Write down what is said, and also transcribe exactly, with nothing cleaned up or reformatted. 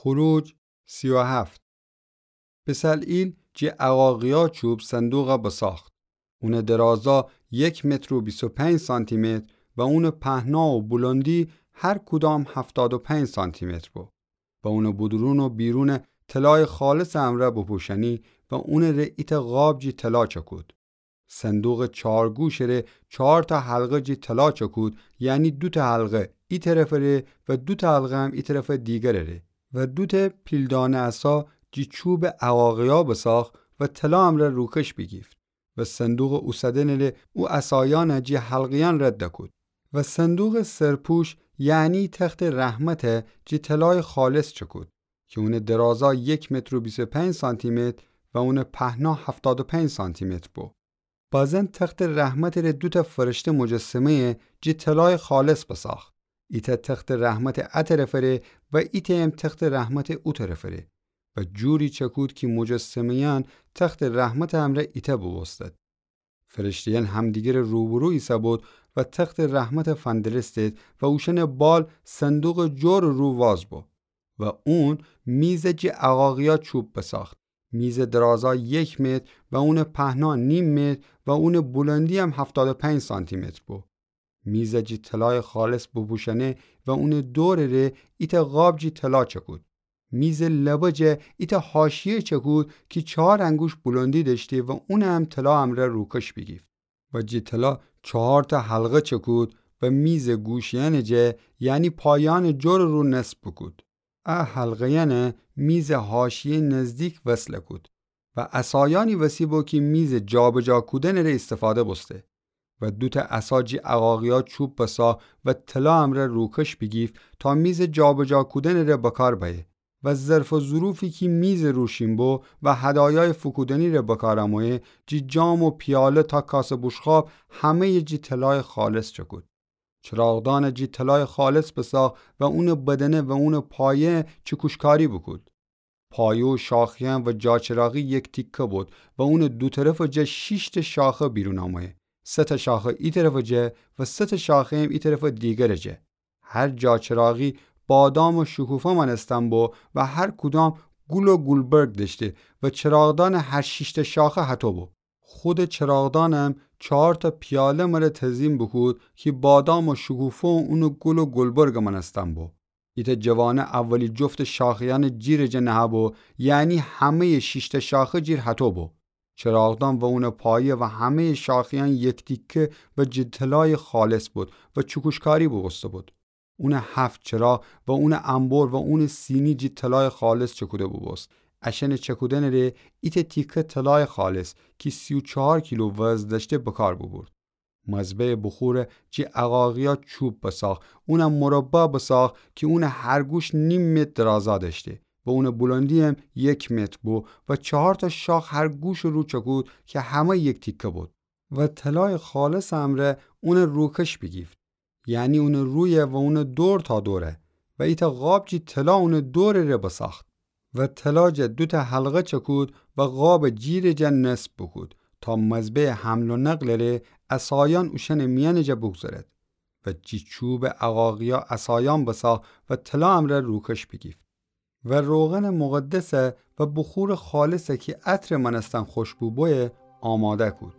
خروج سی و هفت. بصلعیل جی عقاقیا چوب صندوق بساخت. اونٚ درازا یک متر و بیست و پنج سانتیمتر و اونٚ پهنا و بلندی هر کدام هفتاد و پنج سانتیمتر بو. و اونٚ بدرون و بیرون طلای خالصٚ امرأ بپوشأنی و اونٚ ره ایتأ قاب جی طلا چکود. صندوقٚ چارگوشٚ ره چارتأ حلقه جی طلا چکود، یعنی دوتأ حلقه ای طرفٚ ره و دوتأ حلقه هم ای طرفٚ دیگرٚ ره. و دوتأ پیلدانه عصا جی چوبٚ عقاقیا بساخت و طلا امرأ روکش بیگیفت. و صندوقٚ اوسدنٚ ره او عصایأن جی حلقه‌یأن رد دکود. و صندوقٚ سرپوش، یعنی تختٚ رحمت، جی طلای خالص چکود، کی اونٚ درازا یک متر و بیست و پنج سانتیمتر و اونٚ پهنا هفتاد و پنج سانتیمتر بو. بازن تختٚ رحمتٚ ره دوتأ فرشته مجسمه‌یٚ جی طلای خالص بساخت. ایتأ تختٚ رحمتٚ ا طرفٚ ره و ایتأ هم تختٚ رحمتٚ او طرفٚ ره. و جوری چکود کی مجسمه‌یأن تختٚ رحمتٚ امرأ ایتأ بوبوستد. فرشته‌یأن همدیگرٚ روبرو ایسه‌بود و تختٚ رحمتٚ فندرستید و اوشأنٚ بال صندوقٚ جورٚ رو واز بو. و اون میز جی عقاقیا چوب بساخت. میزٚ درازا یک متر و اونٚ پهنا نیم متر و اونٚ بلندی هم هفتاد و پنج سانتیمتر بو. میز جی طلای خالص بپوشأنه و اونٚ دورٚ ره ایتأ قاب جی طلا چکود. میزٚ لبه جا ایتأ حاشیه چکود کی چهار انگوش بلندی دأشتی و اون هم طلا امرأ روکش بیگیفت. و جی طلا چهارتأ حلقه چکود و میزٚ گوشه‌یأنٚ جا، یعنی پایه‌یأنٚ جورٚ رو نصب بوکود. ا حلقه‌یأن میزٚ حاشیه نزدیک وصل کود. و عصایأنی وسی بو کی میزٚ جابجا کودنٚ ره ایستفاده بوسته. و دوتأ عصا جی عقاقیا چوب بسا و طلا امرأ روکش بیگیفت تا میزٚ جابجا کودنٚ ره بکار بأیه. و ظرف و ظروفی کی میزٚ روشین بو و هدایایٚ فوکودنی ره بکار امویه، جی جام و پیاله تا کاسه بوشقاب، همه‌یٚ جی طلایٚ خالص چکود. چراغدان جی طلایٚ خالص بساخت و اونٚ بدنه و اونٚ پایه چکوشکاری بوکود. پایه و شاخه‌یأن و جاچراغی یک تیکه بود و اونٚ دو طرفٚ جا شیشتأ شاخه بیرون امویه. سه‌تأ شاخه ای طرفٚ جا و سه‌تأ شاخه هم ای طرفٚ دیگرٚ جا. هر جاچراغی بادام و شکوفه مأنستن بو و هر کدام گول و گولبرگ دأشته و چراغدانٚ هر شیشتأ شاخه هطو بو. خودٚ چراغدانم چارتأ پیاله مره تزیین بوکود کی بادام و شکوفه و اونٚ گول و گولبرگٚ مأنستن بو. ایتأ جوانه اولی جفتٚ شاخه‌یأنٚ جیرٚ جا نهه‌بو، یعنی همه‌یٚ شیشتأ شاخه جیر هطو بو. چراغدان و اونٚ پایه و همه‌یٚ شاخه‌یأن یک تیکه و جی طلایٚ خالص بود و چکوشکاری بوبوسته بود. اونٚ هفت چراغ و اونٚ انبر و اونٚ سینی جی طلایٚ خالص چکوده بوبوست. اشأنٚ چکودنٚ ره ایتأ تیکه طلایٚ خالص کی سی و چهار کیلو وزن دأشته بکار بوبورد. مذبحٚ بخوره جی عقاقیا چوب بساخت، اونم مربع بساخت کی اونٚ هر گوش نیم متر درازا دأشته و اونٚ بلندی هم یک متر بو و چهارتأ شاخ هر گوشٚ رو چکود کی همه یک تیکه بود و طلایٚ خالصٚ امرأ اونٚ روکش بیگیفت، یعنی اونٚ رویه و اونٚ دور تا دوره و ایتأ قاب جی طلا اونٚ دورٚ ره بساخت. و طلا جا دوتأ حلقه چکود و قابٚ جیرٚ جا نصب بوکود تا مذبحٚ حمل و نقلٚ ره عصایأن اوشأنٚ میأنٚ جا بوگذرد. و جی چوبٚ عقاقیا عصایأن بساخت و طلا امرأ روکش بیگیفت. و روغنٚ مقدسه و بخورٚ خالصه کی عطرٚ مأنستن خوشبو بویه آماده کود.